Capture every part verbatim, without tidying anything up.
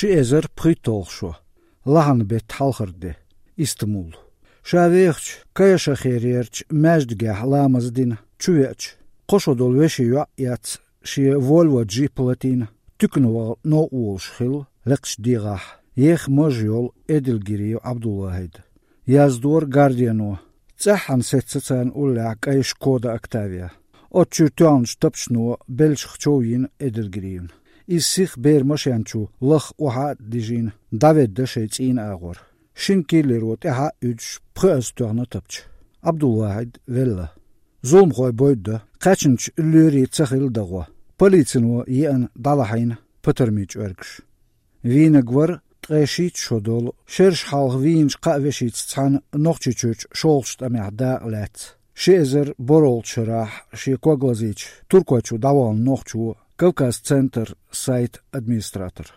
Ши эзар пхийтталгӀа шо, лахьан бетта хьалхара де, Истамул. Ша вехача Каяшахерерча маьждигехь ламаз дина, чувеача, кхо шо долу вешин йоӀ а эцна, шен Volvo джип латийна, туькана ваха новкъа волуш хилла лекхачу дегӀахь, еха маж йолу Эдельгириев Ӏабдулвахьид. Яздора Гардиано, цӀеххьана сецна царна уллехь кӀайн Шкода Октавия. Оцу чуьра тоьхначу тапчано беллачух чов йина Эдельгириевна. Иза сиха бер машен чу лаха охьа а дижийна, дӀаведда шайн цӀийнан агӀор. Шина киллеро тӀаьхьа а уьдуш, пхоьазза тоьхна тапча. Ӏабдулвахьид велла. Зуламхой бойда, кхаьчначу лоьрийн ца хилла дагӀо. Полицино еана дӀалахьийна патармийн чӀоьргаш. Вийнарг вара ткъе шийтта шо долу, шераш хьалха вийначу кхаа вешица цхьаьна Нохчийчуьрчу шолгӀачу тӀамехь дакъа лаьцна, ши эзар борхӀалгӀачу шарахь шен ког лазийча Туркойчу дӀавахана нохчо, Кавказ-Центр сайта администратор.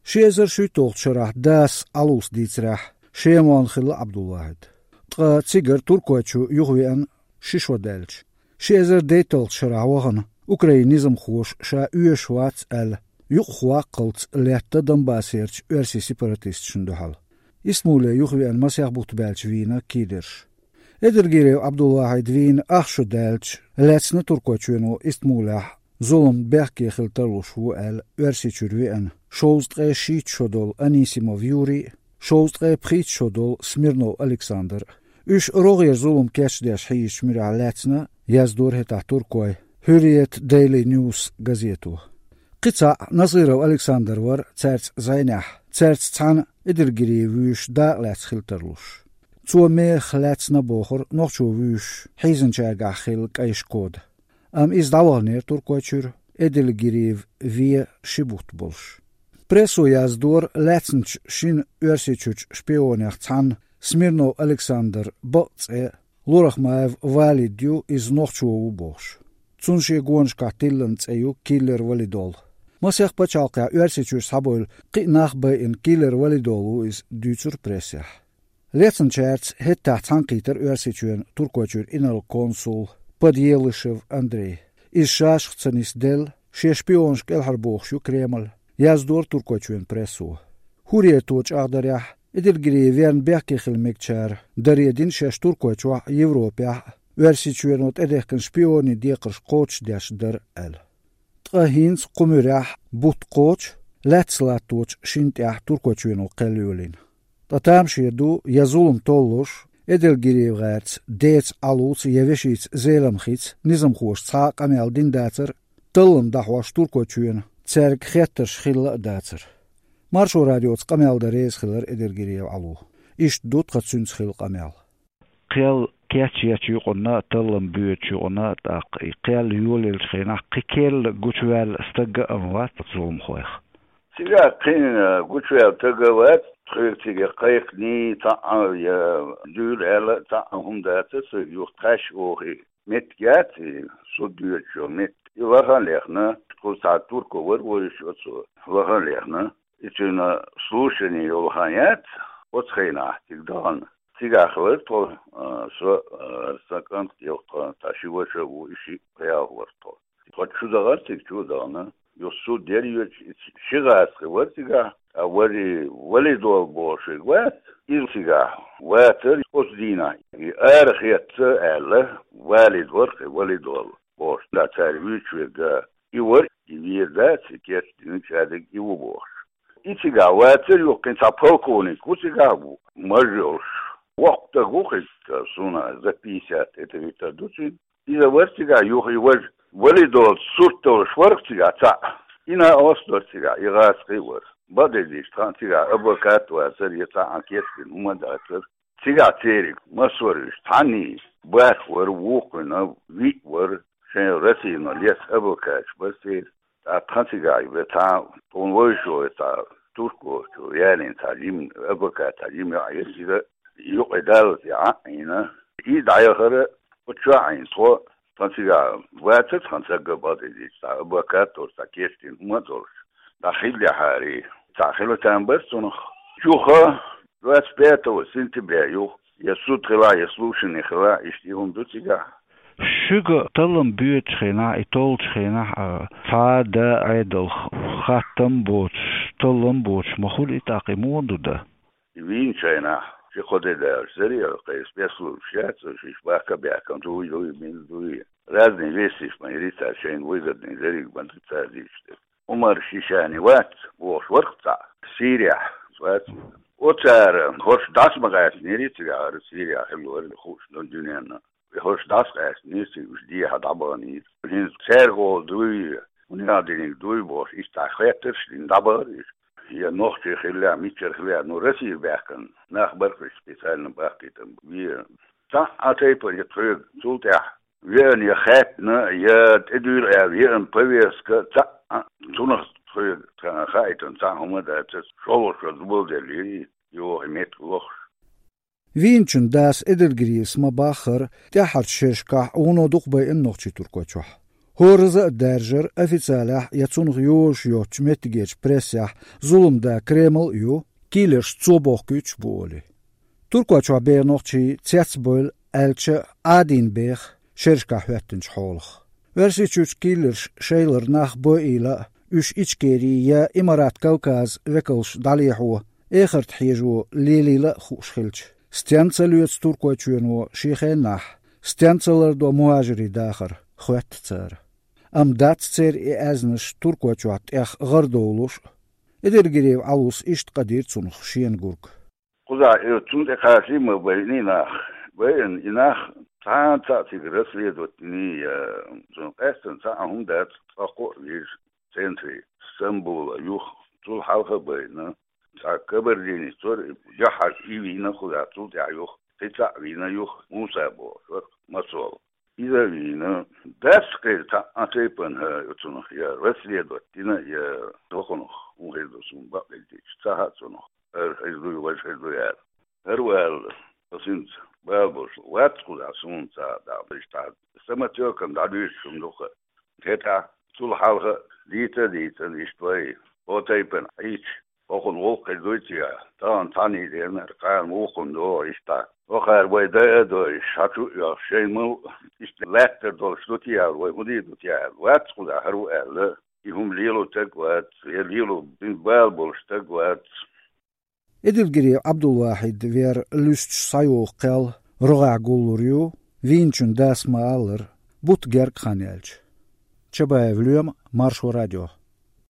Ши эзар шийтталгӀачу шарахь дас Ӏалас дийцарехь, Шемон хилла Ӏабдулвахьид. Ткъа цигара Туркойчу юхавеана ши шо даьлча, ши эзар дейтталгӀачу шарахь вахана, Украинан низамхоша ша оьшуш вац аьлла, юкъахваккхалц летта Донбассерчу оьрсийн сепаратисташна дуьхьал. Истамуле юхавеана масех бутт баьлча вийна киллерш. Эдельгириев Ӏабдулвахьид вийна ах шо даьлча, лаьцна Туркойчоьно Истамулехь зулам бехке хила тарлуш ву аьлла, Оьрсийчуьра веана, шовзткъа ткъе шийтта шо долу Анисимов Юрий а, шовзткъа ткъе пхийтта шо долу Смирнов Александр а. Уьш рогӀера зулам кечдеш хьийзачу муьрехь лаьцна, яздора хӀетахь туркой Hürriyet Daily News газето. Кхин цхьаъ Насыров Александр вара цаьрца зӀенехь, цаьрца цхьаьна Эдельгириев вуьйш дакъа лаьцна хила тарлуш. Цо мехах лаьцна бохура нохчо вуьйш хьийзинчаьргахь хилла кӀайн Шкода. Амма иза дӀаваханера Туркойчуьра, Эдельгириев вен ши бутт болуш. Прессо яздора, лаьцначу шина Оьрсийчуьрчу шпионех цхьанна, Смирнов Александр бакъ цӀе, Лурахмаев Валид ю, иза нохчо ву бохуш. Цунна шен гонашкахь тиллина цӀе ю Киллер Валидол. Масех пачхьалкхехь Оьрсийчуьра схьабевлла кхин а нах байина Киллер Валидол ву иза, дуьйцура прессехь. Лецначаьрца хӀетахь цхьаьнакхийтира Оьрсийчоьнан Туркойчуьра инарла консул Подъелышев Андрей. Иза шашах ца нисделла, шен шпионаш кӀелхьарбохуш ю Кремль, яздора Туркойчоьнан прессо. Hürriyet-о чӀагӀдарехь, Эдельгириев верна бехке хила мегачара даре дина шаьш Туркойчохь а, Европехь а Оьрсийчоьно тӀедехкина шпионийн декхарш кхочушдеш дара аьлла. Ткъа хӀинца кху муьрехь бутт кхочу, лаьцна латточу шина тӀехь Туркойчоьно кхел йолийна. Ткъа тамаше ду, я зулам толлуш, Эдельгириев гӀерца деца Ӏалуца я вешица Зеламхица низамхоша цхьа а къамел дина дацара, таллам дӀахьош Туркойчоьно цаьрга хеттарш хилла а дацара. Маршо радиоца къамел дан реза хилар Эдельгириев Ӏало. Иштта ду тхан цуьнца хилла къамел. Кхел кечъечу юкъана, таллам боьдучу юкъана, тӀаккха и кхел йолаеллачу хенахь кхин керла гучуваьлла стаг а ма вац зуламхойх. Цигахь кхин гучуваьлла стаг а вац, тхоьга цига кхайкханий цхьаъ а, я дуьйла аьлла а цхьаъ а хӀума дацара, со юха тхаьш охий меттиг яц и, суд йоьдуш йолу меттиг. И лахана а лехна, кхузахь турко вара вуьйш оцо, лахана а лехна. И цуьнан слушани йолу хан яц, оцу хенахь цига дахана. Цигахь вара тхо, а, со, а, сан кӀант а, тхо, тхан ши ваша а ву, и шиъ пхиалхо вара тхо. Тхо чу дахара, цига чу а дахана. Юха суд яра йоьдуш, и ши гӀазкхи вара цигахь, а вари Валидол бохуш верг вац, иза цигахь вацара оцу дийнахь. И арахецна аьлла, Валид вара кхин Валидол бохуш, да цара вуьйцуш верг а. И вара, и вер дац, и кечдина чадиг и ву бохуш. И цигахь вацара, юха кхин цхьа полковник ву цигахь ву, маж йолуш. Воккха стаг ву кхин, суна за пятьдесят, это витар ду цуьнан. Иза вара цигахь юха и важа. Валидолца сурт долуш вара цигахь цхьаъ. И накъост вара цигахь, и гӀазкхи а вара. Бакъдерг дийцича, тхан цигахь адвокат а вацара, я цхьа а кечдина хӀума а дацара. Цигахь церан массо а вуьйш, цхьанний бархӀ вара, вукхуьнан виъ вара, шайн Россино леца адвокаташ бара церан. ТӀаккха тхан цигахь ве цхьа, тхуна вовшахтоьхна цхьа турко чу ялийна цхьа жима адвокат, цхьа жима йоӀ яра, иза юкъе даллалц и Ӏа а Ӏийна. И дӀаяхара, оцу чохь а Ӏийна тхо, тхан цигахь вацара тхан цигахь бакъдерг дийцича, цхьа адвокат а долуш, цхьа кечдина хӀума а долуш. ДӀа хилла яхьарий, цхьа хила там бара цунах. Юха, двадцать пятого сентября юха, я суд хилахь, я слушани хилахь, иштта и хӀума ду цигахь. Шуьга таллам боьдучу хенахь, и толлучу хенахь а, цхьа а да Ӏедалх хаттам боцуш, таллам боцуш ма хуьлу и тӀаккха, и муха ду дан? И вийначу хенахь, ши-кхо де даьлча, зарегӀа кхайса, беслуш яц, шиш бахка а баьхкина, дуй, дуй, мила дуй. Разные вести ма йири цара, шайна выгодный дерриг ма ду цара дийцича дерг. Умар Шишани вац, бохуш вара-кх цхьаъ, Сирехь вац. Оцара хӀорш дӀаса ма къаьстинера цигахь, хӀара Сирехь хилла вара хууш долу дуьненна. И хӀорш дӀаса къаьстинера цига, уьш дехьа дӀабаханера. ХӀинца цаьрга гӀо дуй, хӀунда диниг дуй бохуш, иштта хеттарш а дина дӀабахара уьш. Я нохчий хиллехь, мичара хиллехь, ну, Россера баьхкина нах бара-кх уьш, специально бахкийтина бен. Цхьа а тайпана я тхоьга цул тӀаьхьа веана, я хаьттина, я тӀедуьйла аьлла еана повестка, цхьа а цунах тхоьга хаийтина цхьа а хӀума а дац, шолгӀа шо зулам деллера, йоху и меттиг лохуш. Вийначун дас Эдельгриевс ма-баххара, тӀаьххьарчу шерашкахь вуно дукха байина Нохчийчохь. ХӀоразза а даьржира официалехь я цунах йозуш йоцучу меттигерчу прессехь зуламда Кремль а ю, киллерш цо бохкуьйтуш а бу олий. Туркойчохь беха нохчий цецбевлла аьлча а, Ӏадийна беха шерашкахь хӀоьттинчу хьолах. Оьрсийчуьрчу киллерша шайлара нах бойийла а, уьш Ичкери я Имарат Кавказ векалша дӀалехьо, эхарта хьежо лелийла а хууш хилча, стенна ца лоьцу Туркойчоьно шен хенахь, стенна ца лардо мухӀажирийн дахар, хоьтту цара. Амма дац церан и аьзнаш Туркойчохь тӀех гӀарадовлуш а. Эдельгриев Ӏалас иштта къадийра цунах шена гург. Кхузахь и цунна тӀе кхачий ма байина и нах. Байина и нах, цхьана цхьаъ цига расследовать йиний, я цунна къаьстина цхьа а хӀума дац, цкъа кхоъ вижа центре, Стамбула юха, цул хьалха а байина. Цхьа кабардинец вара, яхьарг и вийна кхузахь, цул тӀаьхьа юха, кхин цхьаъ вийна юха, Муса бохуш вара, Мацол. Иза а вийна, дац кхин цхьа а тайпана хӀара цунах я расследовать йина, я дохунах, хӀун хир ду суна бакъ хилча, ца хаьа цунах, хӀара хир дуй, важа хир дуй аьлла. ХӀара ваьлла, аса хӀинца бала болуш вац кхузахь суна цхьа а дӀа, иштта самотёкан дӀадуьйцуш хӀума ду-кх. ХӀетахь цул хьалха а дийца а дийцина, иштта вай, о тайпана Ӏийча, хӀокхунна гӀуллакх хир дуй цигахь, тахана цхьаьний дернара, кхана вукхунна догӀу иштта. ХӀокхара вай дай а дой, хьан чу а йоьлхуш, шайн мал а иштта лаьттара долуш ду те аьлла, вай хӀун дийр ду те аьлла, вац кхузахь хӀара ву аьлла, и хӀума лело стаг вац, я лело бала болуш стаг вац. Эдельгириев Ӏабдулвахьид вер луьсташ схьайогӀу кхел рогӀехь гуллур ю, вийначун дас ма-аллара, бутт герга хан яьлча. Чабаев Лоьма, Маршо радио.